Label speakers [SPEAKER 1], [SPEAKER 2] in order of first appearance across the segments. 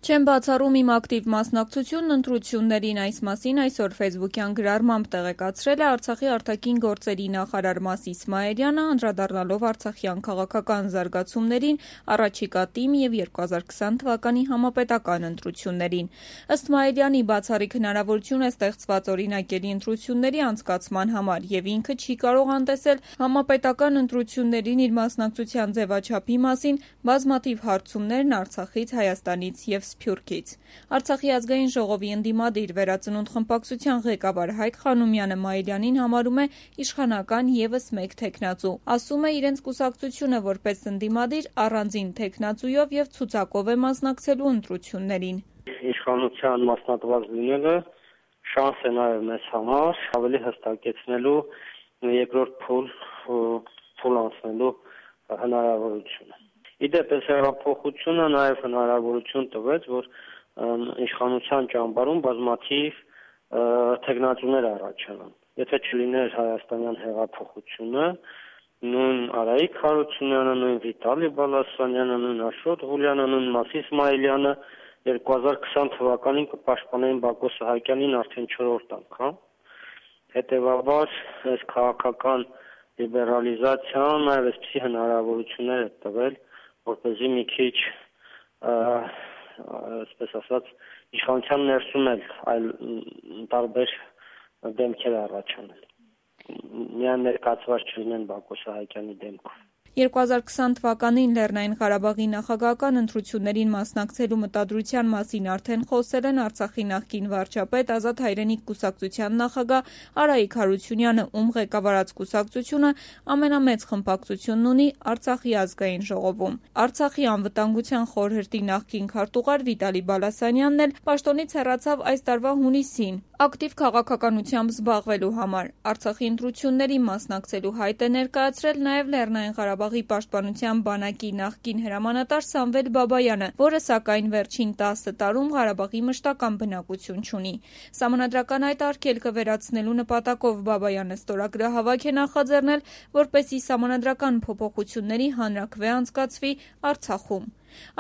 [SPEAKER 1] Չեմ բացառում իմ ակտիվ մասնակցությունն ընտրություններին, այս մասին այսօր ֆեյսբուքյան գրառմամբ տեղեկացրել է Արցախի արտաքին գործերի նախարար Մաս Իսմայելյանը, անդրադառնալով արցախյան քաղաքական զարգացումներին, առաջիկա ՏԻՄ և 2020 թվականի համապետական ընտրություններին։ Ըստ Մայելյանի, բացառիկ հնարավորություն է ստեղծված օրինակելի ընտրությունների անցկացման համար և ինքը չի կարող անտեսել համապետական ընտրություններին իր մասնակցության ձևաչափի մասին բազմաթիվ հարցումներն Արցախից, Հայաստանից և Սփյուռքից։ Արցախի ազգային ժողովի ընդդիմադիր Վերածնունդ խմբակցության ղեկավար Հայկ Խանոմյանը Մայելյանին համարում է իշխանական ևս մեկ թեկնածու։ Ասում է, իրենց կուսակցությունը որպես ընդդիմադիր առանձին թեկնածուով և ցուցակով է մասնակցելու ընտրություններին։
[SPEAKER 2] Իշխանության մասնատված լինելը շանս է նաև մեզ համար ավելի հստակեցնելու երկրորդ փուլ անցնելու հնարավորությունը։ Իդեպ այս հեղափոխությունը նաև հնարավորություն տվեց, որ իշխանության ճամբարում բազմաթիվ թեկնածուներ առաջանան։ Եթե չլիներ հայաստանյան հեղափոխությունը, նույն Արայիկ Հարությունյանը, նույն Վիտալի Բալասանյանը, նույն Աշոտ Ղուլյանը, նույն Մաս Իսմայելյանը 2020 թվականին կպաշտպանեին Բակո Սահակյանին արդեն 4-րդ անգամ։ Հետևաբար այս քաղաքական լիբերալիզացիան նաև այսպիսի հնարավորություններ է տվել, որպեսզի մի քիչ, այսպես ասած, իշխանության ներսում էլ այլ տարբեր դեմքեր առաջանան։ Միայն ներկայացված չլինեն Բակո Սահակյանի դեմքով։
[SPEAKER 1] 2020 թվականին Լեռնային Ղարաբաղի նախագահական ընտրություններին մասնակցելու մտադրության մասին արդեն խոսել են Արցախի նախկին վարչապետ, Ազատ հայրենիք կուսակցության նախագահ Արայիկ Հարությունյանը, ում ղեկավարած կուսակցությունը ամենամեծ խմբակցությունն ունի Արցախի ազգային ժողովում։ Արցախի անվտանգության խորհրդի նախկին քարտուղար Վիտալի Բալասանյանն էլ պաշտոնից հեռացավ այս տարվա հունիսին ակտիվ քաղաքականությամբ զբաղվելու համար։ Արցախի ընտրություններին մասնակցելու հայտ է ներկայացրել նաև Լեռնային Ղարաբաղի պաշտպանության բանակի նախկին հրամանատար Սամվել Բաբայանը, որը սակայն վերջին 10 տարում Ղարաբաղի մշտական բնակություն չունի։ Սահմանադրական այդ արգելքը վերացնելու նպատակով Բաբայանը ստորագրահավաք է նախաձեռնել, որպեսզի սահմանադրական փոփոխությունների հանրաքվե անցկացվի Արցախում։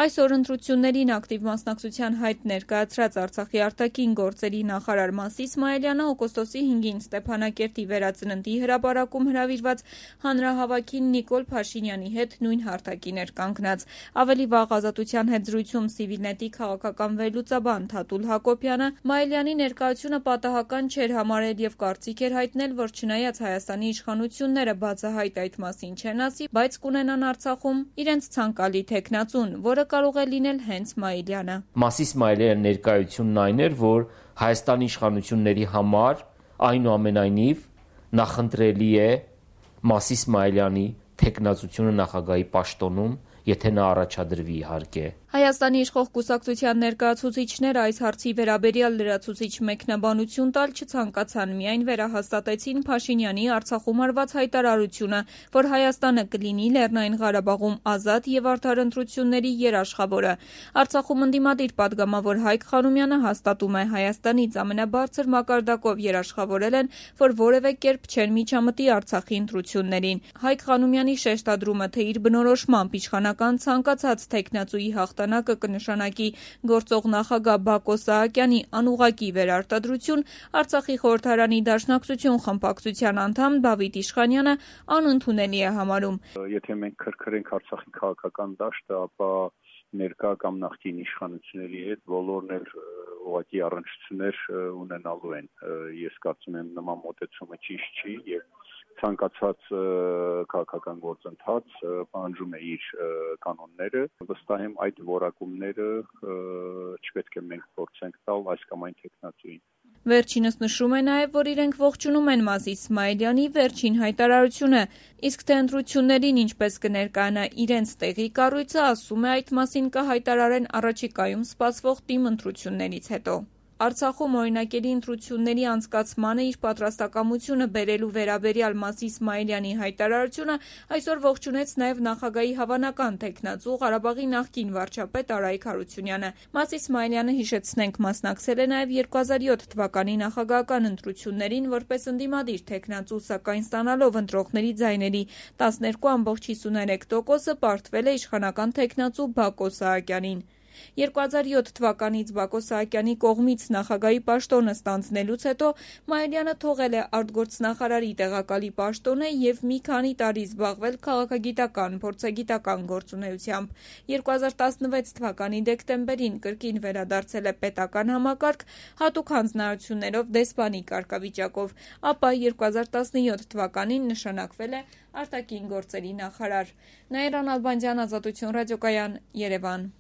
[SPEAKER 1] Այսօր ընտրություններին ակտիվ մասնակցության հայտ ներկայացրած Արցախի արտաքին գործերի նախարար Մաս Իսմայելյանը օգոստոսի 5-ին Ստեփանակերտի Վերածննդի հրապարակում հրավիրված հանրահավաքին Նիկոլ Փաշինյանի հետ նույն հարթակին էր կանգնած։ Ավելի վաղ Ազատության հետ զրույցում Civilnet-ի քաղաքական վերլուծաբան Թաթուլ Հակոբյանը Մայելյանի ներկայությունը պատահական չէր համարել և կարծիք էր հայտնել, որ չնայած Հայաստանի իշխանությունները բացահայտ այդ մասին չեն ասի, բայց կունենան Արցախում իրենց ցանկալի թեկնածուն, որը կարող է լինել հենց Մայելյանը։
[SPEAKER 3] Մաս Իսմայելյանի ներկայությունն այն էր, որ Հայաստանի իշխանությունների համար այնուամենայնիվ նախընտրելի է Մաս Իսմայելյանի թեկնածությունը նախագահի պաշտոնում, եթե նա առաջադրվի իհարկե։
[SPEAKER 1] Հայաստանի իշխող կուսակցության ներկայացուցիչները այս հարցի վերաբերյալ լրացուցիչ մեկնաբանություն տալ չցանկացան, միայն վերահաստատեցին Փաշինյանի Արցախում արված հայտարարությունը, որ Հայաստանը կլինի Լեռնային Ղարաբաղում ազատ և արդար ընտրությունների երաշխավորը։ Արցախում ընդդիմադիր պատգամավոր Հայկ Խանոմյանը հաստատում է, Հայաստանից ամենաբարձր մակարդակով երաշխավորել են, որ որևէ կերպ չեն միջամտի Արցախի ընտրություններին։ Հայկ Խանոմյանի շեշտադրումը, թե իր բնորոշմամբ իշխանական ցանկացած թեկնածուի հաղթանակը կնշանակի գործող նախագահ Բակո Սահակյանի անուղղակի վերարտադրություն, Արցախի խորհրդարանի Դաշնակցություն խմբակցության անդամ Դավիթ Իշխանյանը անընդունելի է համարում։
[SPEAKER 4] Եթե մենք քրքրենք Արցախի քաղաքական դաշտը, ապա ներկա կամ նախկին իշխանությունների հետ բոլորն էլ ուղղակի առնչություններ ունենալու են։ Ես կարծում եմ նման մոտեցումը ճիշտ չի եւ ցանկացած քաղաքական գործընթաց պահանջում է իր կանոնները։ Վստահ եմ այդ որակումները չպետք է մենք փորձենք տալ այս կամ այն թեկնածուին։
[SPEAKER 1] Վերջինս նշում է նաև, որ իրենք ողջունում են Մաս Իսմայելյանի վերջին հայտարարությունը, իսկ թե ընտրություններին ինչպես կներկայանա իրենց տեղի կառույցը, ասում է, այդ մասին կհայտարարեն առաջիկայում սպասվող ՏԻՄ ընտրություններից հետո։ Արցախում օրինակելի ընտրությունների անցկացմանը իր պատրաստակամությունը բերելու վերաբերյալ Մաս Իսմայելյանի հայտարարությունը այսօր ողջունեց նաև նախագահի հավանական թեկնածու Ղարաբաղի նախկին վարչապետ Արայիկ Հարությունյանը։ Մաս Իսմայելյանը, հիշեցնենք, մասնակցել է նաև 2007 թվականի նախագահական ընտրություններին որպես ընդդիմադիր թեկնածու, սակայն ստանալով ընտրողների ձայների 12.53%, պարտվել է իշխանական թեկնածու Բակո Սահակյանին։ 2007 թվականից Բակո Սահակյանի կողմից նախագահի պաշտոնը ստանձնելուց հետո Մայիլյանը թողել է արտգործնախարարի տեղակալի պաշտոնը և մի քանի տարի զբաղվել քաղաքագիտական, փորձագիտական գործունեությամբ։ 2016 թվականի դեկտեմբերին կրկին վերադարձել է պետական համակարգ, հատուկ հանձնարարություններով դեսպանի կարգավիճակով, ապա 2017 թվականին նշանակվել է արտաքին գործերի նախարար։ Նաիրա Նալբանդյան, Ազատություն ռադիոկայան, Երևան։